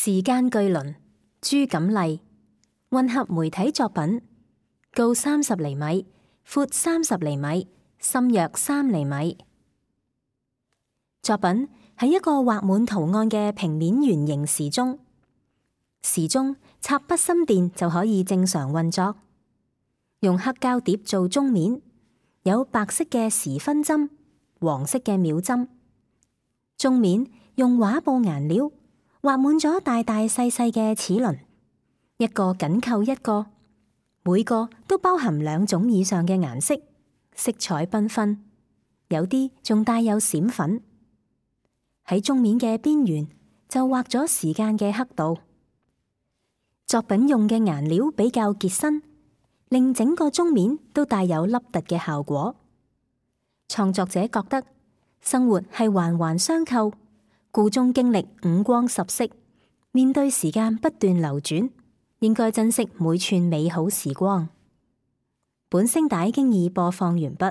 時間巨輪，朱錦麗，混合媒體作品，高30厘米，闊30厘米，深約3厘米。作品係一個畫滿圖案嘅平面圓形時鐘，時鐘插筆芯電就可以正常運作。用黑膠碟做鐘面，有白色嘅時分針，黃色嘅秒針。鐘面用畫布顏料畫滿咗大大細細嘅齒輪，一個緊扣一個，每個都包含2種以上嘅顏色，色彩繽紛，有啲仲帶有閃粉。喺鐘面嘅邊緣就畫咗時間嘅刻度。作品用嘅顏料比較結身，令整個鐘面都帶有凹凸嘅效果。創作者覺得生活係環環相扣，故中經歷5光10色，面對時間不斷流轉，應該珍惜每寸美好時光。本聲帶經已播放完畢。